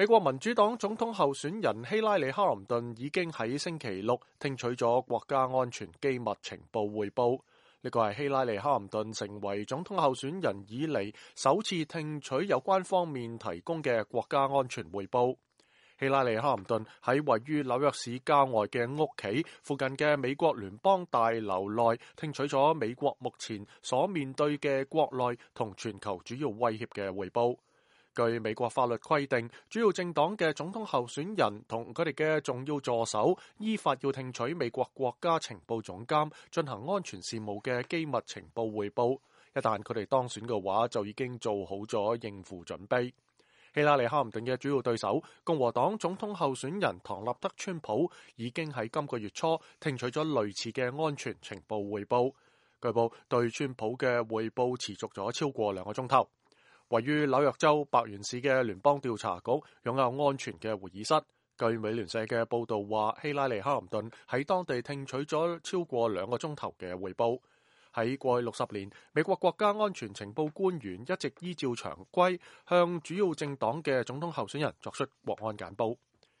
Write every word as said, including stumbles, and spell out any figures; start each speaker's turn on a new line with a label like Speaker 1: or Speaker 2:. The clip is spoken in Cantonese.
Speaker 1: 美國民主黨總統候選人希拉里·哈林頓已經喺星期六聽取咗國家安全機密情報匯報，呢個係希拉里·哈林頓成為總統候選人以嚟首次聽取有關方面提供嘅國家安全匯報。希拉里·哈林頓喺位於紐約市郊外嘅屋企附近嘅美國聯邦大樓內聽取咗美國目前所面對嘅國內同全球主要威脅嘅匯報。據美國法律規定，主要政黨嘅總統候選人同佢哋嘅重要助手依法要聽取美國國家情報總監進行安全事務嘅機密情報匯報。一旦佢哋當選嘅話，就已經做好咗應付準備。希拉里·哈林頓嘅主要對手共和黨總統候選人唐納德·川普已經喺今個月初聽取咗類似嘅安全情報匯報。據報對川普嘅匯報持續咗超過兩個鐘頭。位於紐約州白源市嘅聯邦調查局擁有安全嘅會議室。據美聯社嘅報道話，希拉里·哈林頓喺當地聽取咗超過兩個鐘頭嘅匯報。喺過去六十年，美國國家安全情報官員一直依照常規向主要政黨嘅總統候選人作出國安簡報。